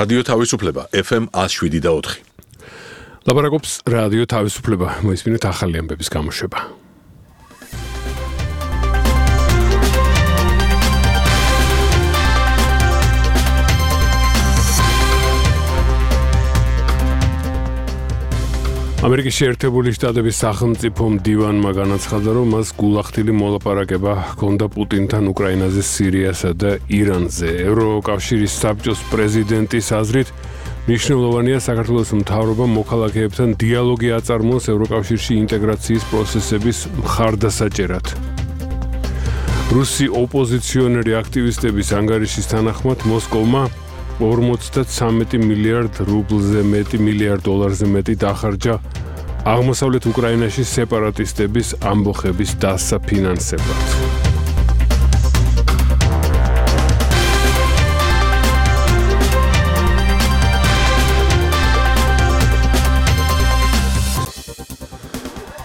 რადიო თავისუფლება FM 107.4. ლაპარაკობს რადიო თავისუფლება, მოისმინეთ ახალი ამბების გამოშვება. ამერიკის შეერთებული შტატების სახელმწიფო მდივანმა განაცხადა, რომ მას გულახდილი მოლაპარაკება ჰქონდა პუტინთან უკრაინაზე, სირიასა და ირანზე. ევროკავშირის საბჭოს პრეზიდენტის აზრით, მნიშვნელოვანია საქართველოს მთავრობამ მოქალაქეებთან დიალოგი აწარმოოს ევროკავშირში ინტეგრაციის პროცესების მხარდასაჭერად. რუსი ოპოზიციონერი აქტივისტების ანგარიშის თანახმად მოსკოვმა 53 მილიარდ რუბლზე მილიარდ დოლარზე მეტი დახარჯა აღმოსავლეთ უკრაინაში სეპარატისტების ამბოხების დასაფინანსებლად.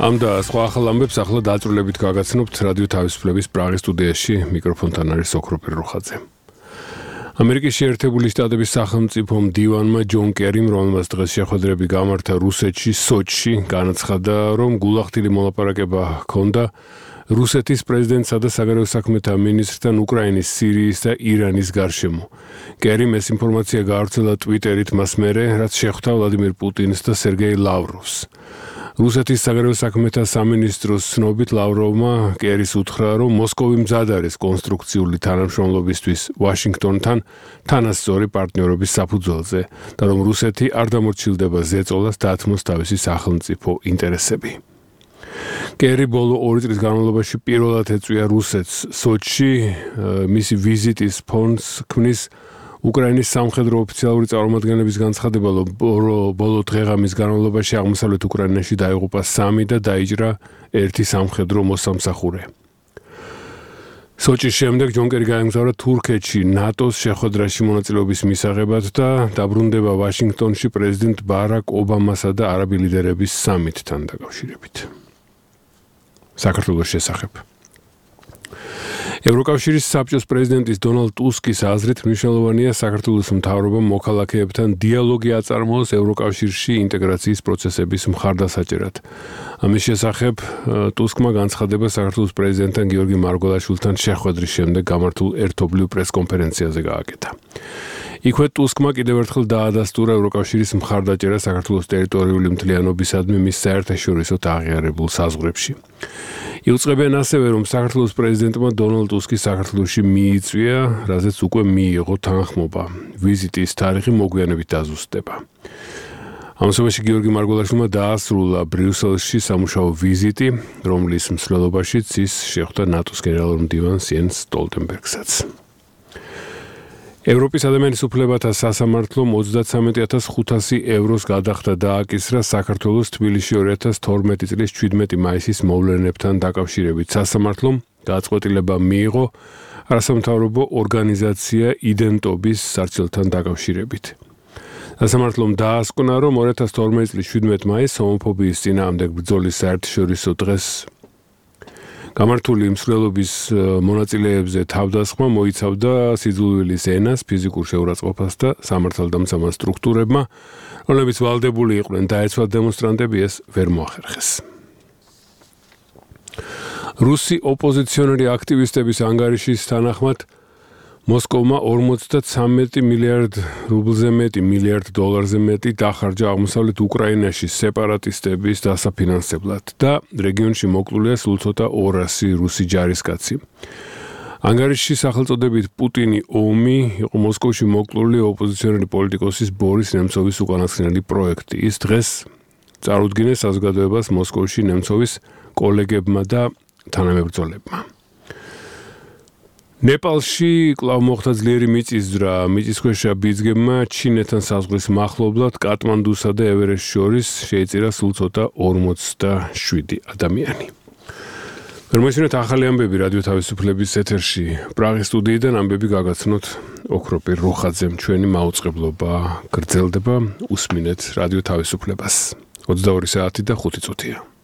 ამ და სხვა ახალ ამბებს ახლა დაწვრილებით გაგაცნობთ რადიო თავისუფლების პრაღის სტუდიაში. მიკროფონთან არის ოქროპირ რუხაძე. ამერიკის შეერთებული შტატების სახელმწიფო მდივანმა ჯონ კერიმ, რომელმაც დღეს შეხვედრები გამართა რუსეთში, სოჩში, განაცხადა, რომ გულახდილი მოლაპარაკება ჰქონდა რუსეთის პრეზიდენტსა და საგარეო საქმეთა მინისტრთან უკრაინის, სირიის და ირანის გარშემო. კერიმ ეს ინფორმაცია გაავრცელა ტვიტერით მას მერე, რაც შეხვდა ვლადიმირ პუტინს და სერგეი ლავროვს. რუსეთის საგარეო საქმეთა სამინისტროს ცნობით ლავროვმა კერის უთხრა, რომ მოსკოვი მზად არის კონსტრუქციული თანამშრომლობისთვის ვაშინგტონთან თანასწორი პარტნიორობის საფუძველზე და რომ რუსეთი არ დამორჩილდება ზეწოლას დათმოს თავისი სახელმწიფო ინტერესები. კერი ბოლო 2 წლის განმავლობაში პირველად ეწვია რუსეთს სოჩში, მისი ვიზიტის ფონს ქმნის უკრაინის სამხედრო ოფიციალური წარმომადგენლების განცხადება, რომ ბოლო დღეღამის განმავლობაში აღმოსავლეთ უკრაინაში დაიღუპა 3 და დაიჭრა 1 სამხედრო მოსამსახურე. სოჩის შემდეგ ჯონ კერი გაემგზავრა თურქეთში ნატოს შეხვედრაში მონაწილეობის მისაღებად და დაბრუნდება ვაშინგტონში პრეზიდენტ ბარაკ ობამასა და არაბი ლიდერების სამიტთან დაკავშირებით. საქართველოს შესახებ. ევროკავშირის საბჭოს პრეზიდენტის დონალდ ტუსკის აზრით, მნიშვნელოვანია საქართველოს მთავრობამ მოქალაქეებთან დიალოგი აწარმოოს ევროკავშირში ინტეგრაციის პროცესების მხარდასაჭერად. ამის შესახებ ტუსკმა განცხადება საქართველოს პრეზიდენტთან გიორგი მარგველაშვილთან შეხვედრის შემდეგ გამართულ ერთობლივ პრესკონფერენციაზე გააკეთა. იქვე ტუსკმა კიდევ ერთხელ დაადასტურა ევროკავშირის მხარდაჭერა საქართველოს ტერიტორიული მთლიანობისადმი მის საერთაშორისო აღიარებულ საზღვრებში. იუწყებენ ასევე, რომ საქართველოს პრეზიდენტმა დონალდ ტუსკი საქართველოში მიიწვია, რაზეც უკვე მიიღო თანხმობა. ვიზიტის თარიღი მოგვიანებით დაზუსტდება. ამასობაში გიორგი მარგველაშვილმა დაასრულა ბრიუსელში სამუშაო ვიზიტი, რომლის მსვლელობაშიც ის შეხვდა ნატოს გენერალურ მდივანს იენს სტოლტენბერგსაც. ევროპის ადამიანის უფლებათა სასამართლომ 33,500 ევროს გადახდა დააკისრა საქართველოს თბილისში 2012 წლის 17 მაისის მოვლენებთან დაკავშირებით. სასამართლომ გადაწყვეტილება მიიღო არასამთავრობო ორგანიზაცია იდენტობის სარჩელთან დაკავშირებით. სასამართლომ დაასკვნა, რომ 2012 წლის 17 მაისს ჰომოფობიის წინააღმდეგ ბრძოლის საერთაშორისო დღეს გამართული მსვლელობის მონაწილეებზე თავდასხმა მოიცავდა სიძულვილის ენას, ფიზიკურ შეურაცხყოფას და სამართალდამცავ სტრუქტურებმა, რომლებიც ვალდებული იყვნენ დაეცვათ დემონსტრანტები, ეს ვერ მოახერხეს. რუსი ოპოზიციონერი აქტივისტების ანგარიშის თანახმად მოსკოვმა 53 მილიარდ რუბლზე მილიარდ დოლარზე მეტი დახარჯა აღმოსავლეთ უკრაინაში სეპარატისტების დასაფინანსებლად და რეგიონში მოკლულია სულ ცოტა 200 რუსი ჯარისკაცი. ანგარიშში სახელწოდებით პუტინი ომი იყო მოსკოვში მოკლული ოპოზიციონერი პოლიტიკოსის ბორის ნემცოვის უკანასკნელი პროექტი. ის დღეს წარუდგინეს საზოგადოებას მოსკოვში ნემცოვის კოლეგებმა და თანამებრძოლებმა. ნეპალში კვლავ მოხდა ძლიერი მიწისძვრა. მიწისქვეშა ბიძგებმა ჩინეთთან საზღვრის მახლობლად კატმანდუსა და ევერესტს შორის შეიწირა სულ ცოტა 47 ადამიანი. მოისმინეთ ახალი ამბები რადიო თავისუფლების ეთერში. პრაღის სტუდიიდან ამბები გაგაცნოთ ოქროპირ რუხაძემ. ჩვენი მაუწყებლობა გრძელდება. უსმინეთ რადიო თავისუფლებას. 22 საათი და 5 წუთია.